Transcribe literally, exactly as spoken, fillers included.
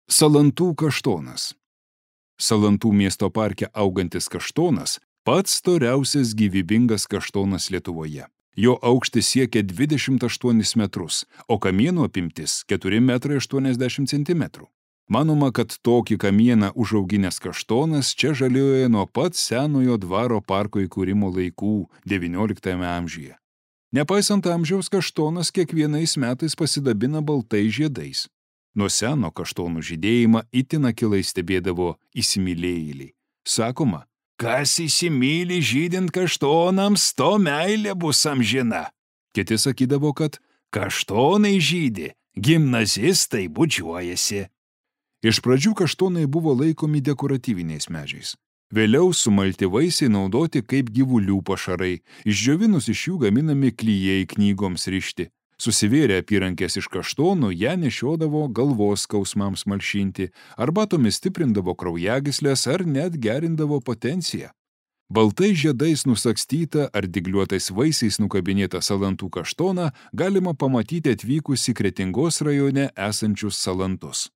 Salantų kaštonas. Salantų miesto parke augantis kaštonas pats storiausias gyvybingas kaštonas Lietuvoje. Jo aukštis siekia dvidešimt aštuonis metrus, o kamieno apimtis keturi metrai aštuoniasdešimt centimetrų. Manoma, kad tokį kamieną užauginęs kaštonas čia žaliuoja nuo pat senojo dvaro parko įkūrimo laikų devynioliktajame amžiuje. Nepaisant amžiaus, kaštonas kiekvienais metais pasidabina baltais žiedais. Nuo seno kaštonų žydėjimą itin akylai stebėdavo įsimylėjėliai. Sakoma, kas įsimyli žydint kaštonams, to meilė bus amžina. Kiti sakydavo, kad kaštonai žydi, gimnazistai bučiuojasi. Iš pradžių kaštonai buvo laikomi dekoratyviniais medžiais. Vėliau sumalti vaisiai naudoti kaip gyvulių pašarai, išdžiovinus iš jų gaminami klijai knygoms rišti. Susivėrę apyrankės iš kaštonų, ją nešiodavo galvos skausmams malšinti, arbatomis stiprindavo kraujagyslės ar net gerindavo potenciją. Baltai žiedais nusakstytą ar dygliuotais vaisiais nukabinėtą salantų kaštoną galima pamatyti atvykus į Kretingos rajone esančius salantus.